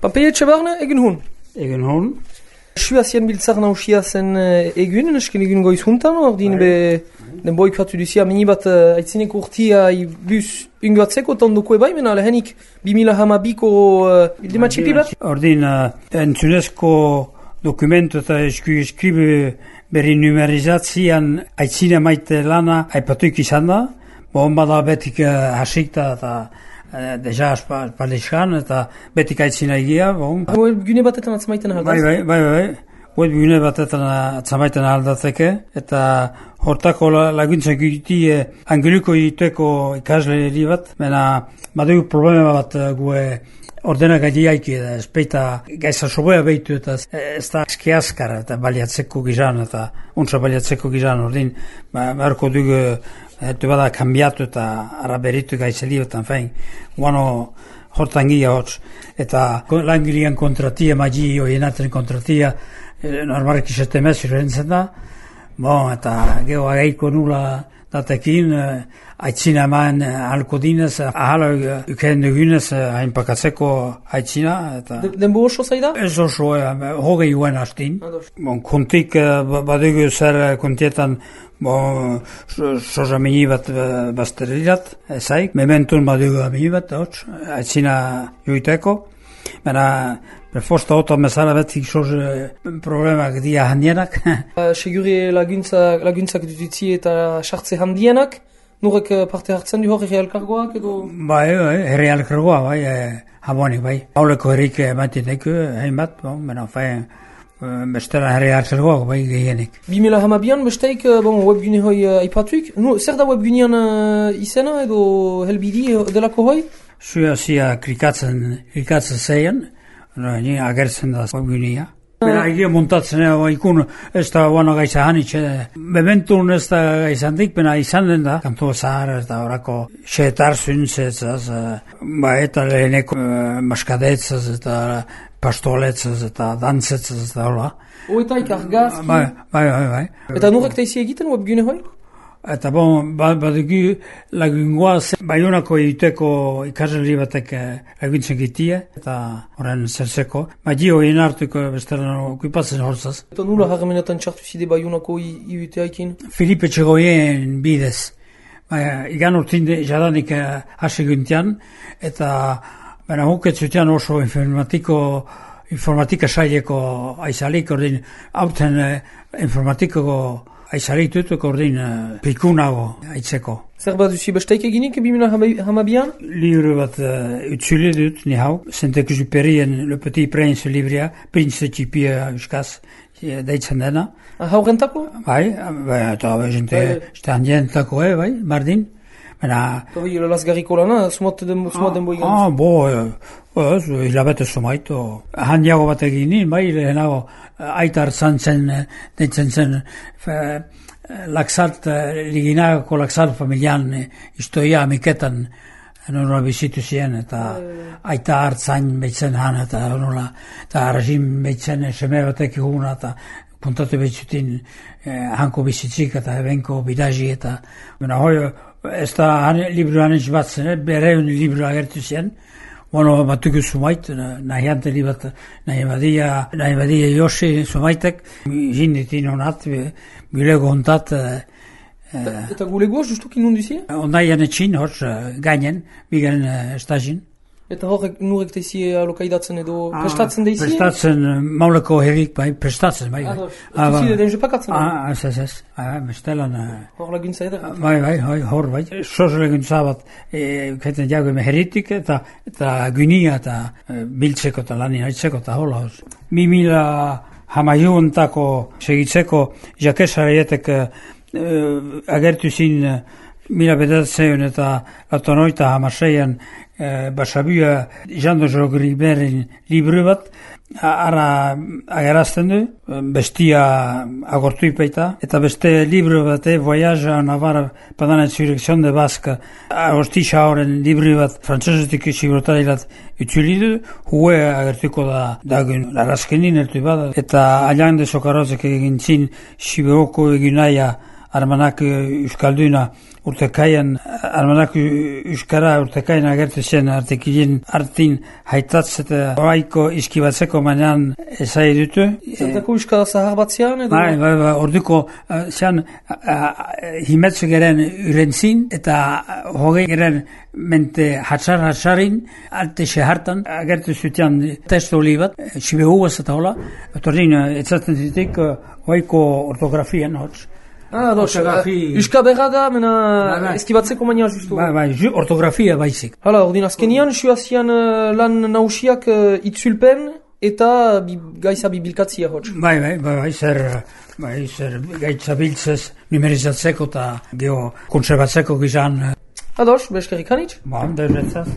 Papeietxe barne, egin hun? Egin hon. Suazien biltzar nausia zen egun, esken egun goiz juntan, ordin den boikatu duzia minibat aitzinek urtia bus ungatzeko tonduko bai, mena lehenik 2012ko bildimatxipi bat? Ordin entzunezko dokumentu eta eskribe berri numerizatzian aitzine maite lana aipatuik izan da, bon bada betik hasikta eta deja espaldizkan eta betik aitzina egia, bon. Webgune batetan atzamaiten ahaldaz? Bai. Webgune batetan atzamaiten ahaldatzeke eta hortako laguntzak egitie angeluko egiteko ikasleri bat, mena badugu problema bat gue ordenak adiaiki da, espeita gaiza soboia behitu eta ez da eski askar eta baliatzeko gizan eta untsa baliatzeko gizan ordin, beharko dugu etu bada kambiatu eta araberitu gaizeli eta fein, guano hortan gira hotz eta langilian kontratia, magi oienaten kontratia, normalek izate mezi rentzen da, bon, eta geho agaiko nula datekin, aitzina eman halko dinez, ahala uken dugunez hainpakatzeko aitzina. Denbo oso zaida? Ez oso, hogei uen hastin. Bon, kontik badugu zer kontietan soza mini bat bazterirat, ezaik. Mementun badugu mini bat, aitzina joiteko. Baina, perfosta oto mesara betik soza problemak dia handienak. Seguri laguntzak dutitzi eta sartze handienak, nurek parte hartzen du hori herrialkargoak edo? Bai, herrialkargoa, bai, habonik, bai. Hauleko herrik ematineko, hainbat, baina, bestela herrialkargoak, bai, gehienik. 2012an besteik webgune hoi aipatuik. Zer da webgunean izena edo helbidi delako hoi? Zia klikatzen zeien, ni agertzen da webgunea. Bera egia montatzen ikun ez da guano gaitza hanitxe. Bementun ez da gaizantik, bena izan den da. Kantu zahar ez da horako xeetar zuntzezaz, eta leheneko maskadetzaz eta pastoletzaz eta dantzetzaz da hola. Oetaik argazki? Bai. Eta nurek taizi egiten webgune hoi? Eta badugu lagungoaz Baionako egiteko ikasleri batek laguntzen gitie, eta horren zerzeko. Magi horien hartuko bestela okupatzen horzaz. Eta nula harremenetan txartu zide Baionako iuteaikin? Filipe Txegoien bidez. Igan urtin jadanik haseguntian, eta baina huketzutean oso informatika saileko aizalik, ordin hauten informatikoko aizaritutuk ordin pikunago aitzeko. Zer bat duzi besteik eginik 2012an? Libro bat utzule dut, ni hau. Saint-Exupérien Le Petit Prince libria, Prince Txipia euskaz, deitzen dena. Haurentako? Bai, eta jente handientako, bai, bardin. Eta lasgarriko lana, sumat denbo egan? Hilabete sumaito. Handiago bat egin, bai, lehenago aita hartzan zen, deitzen zen, laksalt, liginako laksalt familian istoia amiketan nola bizitu ziren, eta aita hartzan behitzen han, eta nola, eta arrazin behitzen seme batek eguna, eta puntatu behitzutin hanko bizitzik, eta ebenko bidazi, eta ez da libru hanitz bat zen, bereun libru agertu zen, batuko sumait, nahi anteli bat, nahi badia Josi sumaitek, jinditin honat, gulego hontat. Eta gulegoa justukin nunduzi? Ondaian etxin, hor, gainen, bigen estazin. Eta horrek nurek teizi alokaidatzen edo prestatzen deizi? Prestatzen, mauleko herrik, bai, prestatzen, bai. Tuzi den jepakatzen? Ez, bestelan. Hor laguntza edera? Bai, hor, bai. Soz laguntza bat, kaiten jago herritik eta gunia eta biltzeko eta lanien haitzeko eta hola. 2012 segitzeko jakesarietek agertu zin mila bedatzen eta latonoita hamaseian Basabua Jando Jogriberin libru bat ara agerazten du, bestia agortu ipaita, eta beste libru bat Voyage en Navarre pendant l'insurrection de Basque agostixa horren libru bat frantzesetik zibrotarilat utzulidu, hue agertuko da dagun larazkenin ertu bat, eta alian de sokarrozek egin zin Siberoko eginaia Armanak Euskalduna urtekaian, armanak Euskara urtekaian agertzen artekilin artin haitatz eta oaiko iskibatzeko manean ezai dutu. Zertako Euskara zahar batzean edo? Bai, orduko zean himetzu geren urentzin eta hogei geren mente hatsarin arte sehartan agertu zutean testo hori bat, sibe huaz eta hola, eta ordin etzaten zitik oaiko ortografian hotz. Euska berra da, mena eskibatzeko maina justu. Bai, ortografia baizik. Hala, ordin azkenian, suazian lan nausiak itzulpen eta gaitza bibilkatzia hotz. Bai, zer gaitza biltzez numerizatzeko eta geho konservatzeko gizan. Ados, beskerik hanitz? Ba, deretzaz.